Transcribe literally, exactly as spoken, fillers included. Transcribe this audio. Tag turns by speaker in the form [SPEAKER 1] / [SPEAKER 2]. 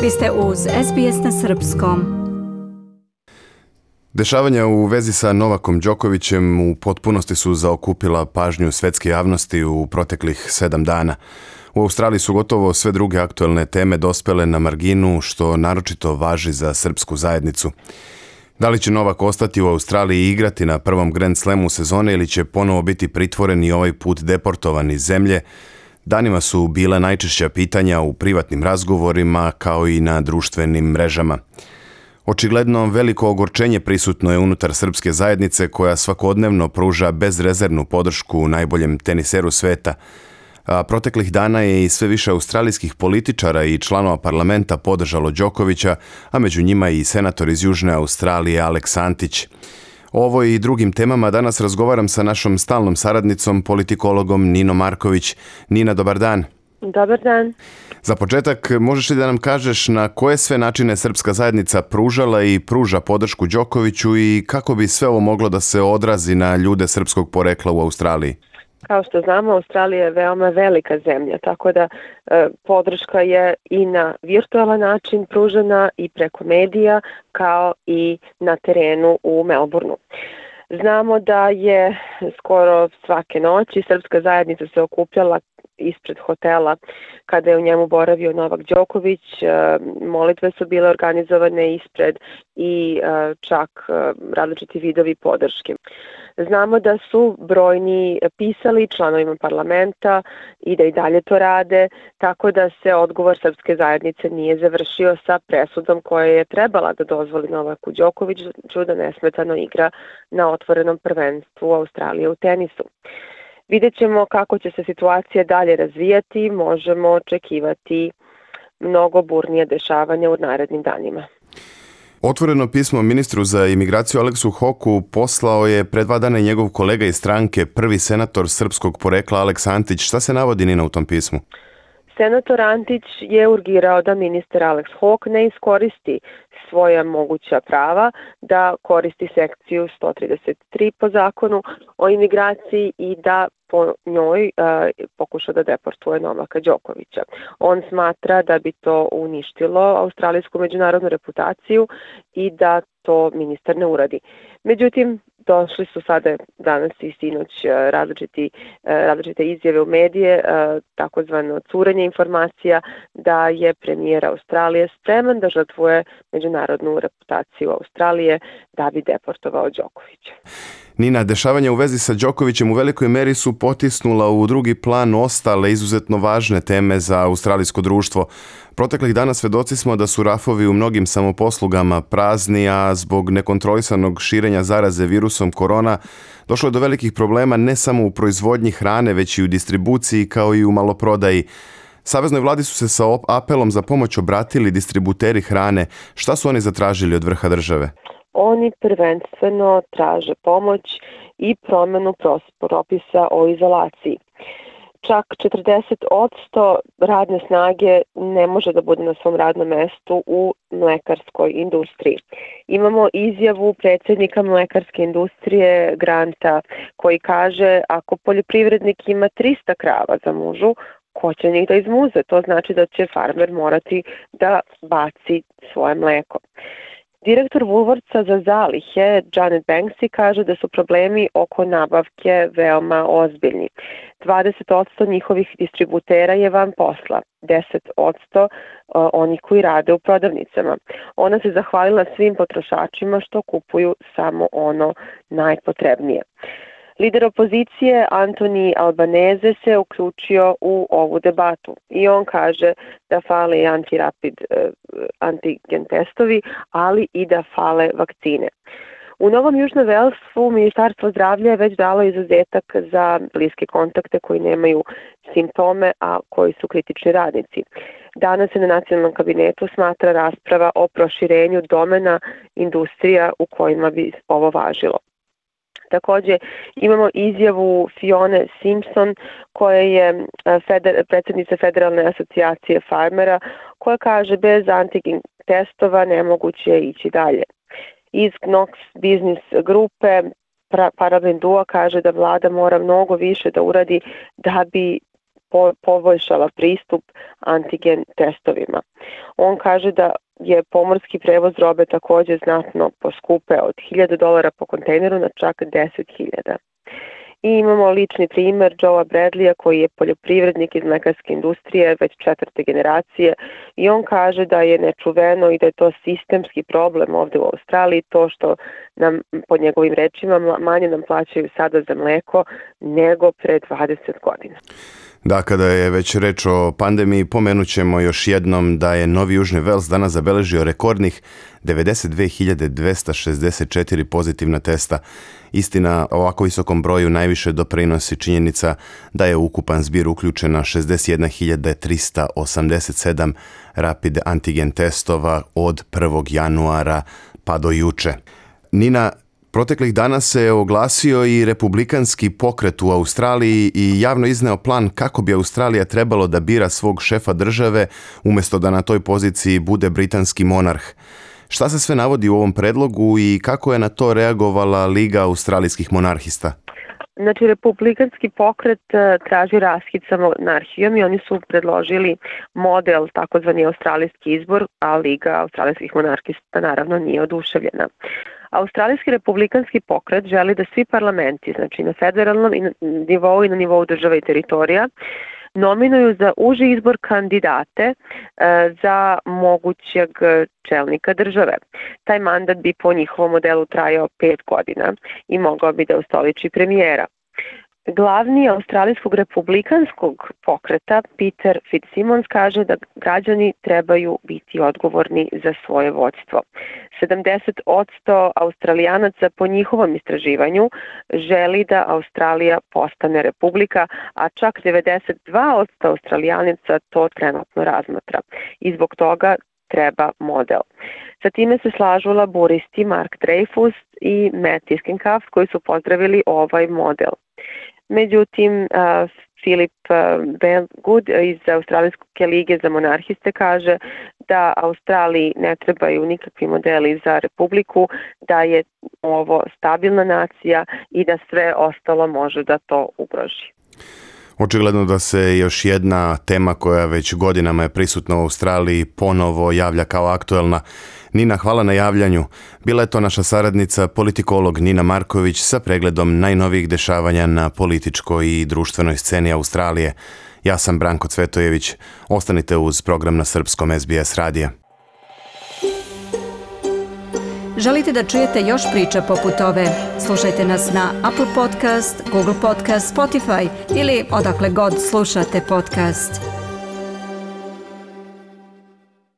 [SPEAKER 1] Vi ste uz S B S na srpskom.
[SPEAKER 2] Dešavanja u vezi sa Novakom Đokovićem u potpunosti su zaokupila pažnju svetske javnosti u proteklih sedam dana. U Australiji su gotovo sve druge aktuelne teme dospele na marginu, što naročito važi za srpsku zajednicu. Da li će Novak ostati u Australiji i igrati na prvom Grand Slamu sezone ili će ponovo biti pritvoren i ovaj put deportovan iz zemlje, danima su bile najčešća pitanja u privatnim razgovorima kao i na društvenim mrežama. Očigledno veliko ogorčenje prisutno je unutar srpske zajednice koja svakodnevno pruža bezrezervnu podršku najboljem teniseru sveta. A proteklih dana je i sve više australijskih političara i članova parlamenta podržalo Đokovića, a među njima i senator iz Južne Australije Alex Antić. O ovoj i drugim temama danas razgovaram sa našom stalnom saradnicom, politikologom Ninom Marković. Nina, dobar dan.
[SPEAKER 3] Dobar dan.
[SPEAKER 2] Za početak, možeš li da nam kažeš na koje sve načine srpska zajednica pružala i pruža podršku Đokoviću i kako bi sve ovo moglo da se odrazi na ljude srpskog porekla u Australiji?
[SPEAKER 3] Kao što znamo, Australija je veoma velika zemlja, tako da e, podrška je i na virtualan način pružena i preko medija, kao i na terenu u Melbourneu. Znamo da je skoro svake noći srpska zajednica se okupljala ispred hotela kada je u njemu boravio Novak Đoković. Molitve su bile organizovane ispred i čak različiti vidovi podrške. Znamo da su brojni pisali članovima parlamenta i da i dalje to rade, tako da se odgovor srpske zajednice nije završio sa presudom koja je trebala da dozvoli Novaku Đokoviću da nesmetano igra na otvorenom prvenstvu Australije u tenisu. Vidjet ćemo kako će se situacija dalje razvijati, možemo očekivati mnogo burnije dešavanja u narednim danima.
[SPEAKER 2] Otvoreno pismo ministru za imigraciju Aleksu Hoku poslao je pre dva dana i njegov kolega iz stranke, prvi senator srpskog porekla Alex Antić. Šta se navodi, Nina, u tom pismu?
[SPEAKER 3] Senator Antić je urgirao da ministar Alex Hawke ne iskoristi svoja moguća prava, da koristi sekciju sto trideset tri po zakonu o imigraciji i da po njoj uh, pokuša da deportuje Novaka Đokovića. On smatra da bi to uništilo australijsku međunarodnu reputaciju i da to ministar ne uradi. Međutim, došli su sada danas i sinoć različiti, različite izjave u medije, takozvano curenje informacija da je premijer Australije spreman da žrtvuje međunarodnu reputaciju Australije da bi deportovao Đokovića.
[SPEAKER 2] Nina, dešavanja u vezi sa Đokovićem u velikoj meri su potisnula u drugi plan ostale izuzetno važne teme za australijsko društvo. Proteklih dana svedoci smo da su rafovi u mnogim samoposlugama prazni, a zbog nekontrolisanog širenja zaraze virusom korona došlo je do velikih problema ne samo u proizvodnji hrane, već i u distribuciji kao i u maloprodaji. Saveznoj vladi su se sa apelom za pomoć obratili distributeri hrane. Šta su oni zatražili od vrha države?
[SPEAKER 3] Oni prvenstveno traže pomoć i promenu propisa o izolaciji. Čak četrdeset posto radne snage ne može da bude na svom radnom mestu u mlekarskoj industriji. Imamo izjavu predsjednika mlekarske industrije Granta koji kaže ako poljoprivrednik ima trista krava za mužu, ko će njih da izmuze? To znači da će farmer morati da baci svoje mleko. Direktor Woolworthsa za zalihe, Janet Banksy, kaže da su problemi oko nabavke veoma ozbiljni. dvadeset posto njihovih distributera je van posla, deset posto onih koji rade u prodavnicama. Ona se zahvalila svim potrošačima što kupuju samo ono najpotrebnije. Lider opozicije Anthony Albanese se uključio u ovu debatu i on kaže da fale i antirapid antigen testovi, ali i da fale vakcine. U Novom Južnom Velsu Ministarstvo zdravlja je već dalo izuzetak za bliske kontakte koji nemaju simptome, a koji su kritični radnici. Danas se na nacionalnom kabinetu smatra rasprava o proširenju domena industrija u kojima bi ovo važilo. Također imamo izjavu Fione Simpson koja je feder, predsjednica Federalne asocijacije farmera koja kaže bez antigen testova nemoguće je ići dalje. Iz Knox Business grupe Parabendua kaže da vlada mora mnogo više da uradi da bi po, poboljšala pristup antigen testovima. On kaže da je pomorski prevoz robe također znatno poskupeo od hiljadu dolara po kontejneru na čak deset hiljada. I imamo lični primer Joea Bradleya koji je poljoprivrednik iz mlekarske industrije već četvrte generacije i on kaže da je nečuveno i da je to sistemski problem ovdje u Australiji, to što nam, po njegovim rečima, manje nam plaćaju sada za mleko nego pre dvadeset godina.
[SPEAKER 2] Da, kada je već reč o pandemiji, pomenut ćemo još jednom da je Novi Južni Vels danas zabeležio rekordnih devedeset dve hiljade dvesta šezdeset četiri pozitivna testa. Istina, o ovako visokom broju najviše doprinosi činjenica da je ukupan zbir uključena šezdeset jedna hiljada trista osamdeset sedam rapid antigen testova od prvog januara pa do juče. Nina, proteklih dana se oglasio i republikanski pokret u Australiji i javno izneo plan kako bi Australija trebalo da bira svog šefa države umjesto da na toj poziciji bude britanski monarh. Šta se sve navodi u ovom predlogu i kako je na to reagovala Liga australijskih monarhista?
[SPEAKER 3] Znači, republikanski pokret traži raskid sa monarhijom i oni su predložili model, takozvani australijski izbor, a Liga australijskih monarhista naravno nije oduševljena. Australijski republikanski pokret želi da svi parlamenti, znači na federalnom nivou i na nivou država i teritorija, nominuju za uži izbor kandidate e, za mogućeg čelnika države. Taj mandat bi po njihovom modelu trajao pet godina i mogao bi da ustoliči premijera. Glavni australijskog republikanskog pokreta Peter Fitzsimmons kaže da građani trebaju biti odgovorni za svoje vođstvo. sedamdeset posto Australijanaca po njihovom istraživanju želi da Australija postane republika, a čak devedeset dva posto Australijanaca to trenutno razmatra. I zbog toga treba model. Sa time se slažu laburisti Mark Dreyfus i Matt Iskenkaft koji su pozdravili ovaj model. Međutim, uh, Philip uh, Good iz Australijske lige za monarhiste kaže da Australiji ne trebaju nikakvi modeli za republiku, da je ovo stabilna nacija i da sve ostalo može da to ugroži.
[SPEAKER 2] Očigledno da se još jedna tema koja već godinama je prisutna u Australiji ponovo javlja kao aktuelna. Nina, hvala na javljanju. Bila je to naša saradnica, politikolog Nina Marković sa pregledom najnovijih dešavanja na političkoj i društvenoj sceni Australije. Ja sam Branko Cvetojević. Ostanite uz program na srpskom S B S radija.
[SPEAKER 1] Želite da čujete još priča poput ove? Slušajte nas na Apple Podcast, Google Podcast, Spotify ili odakle god slušate podcast.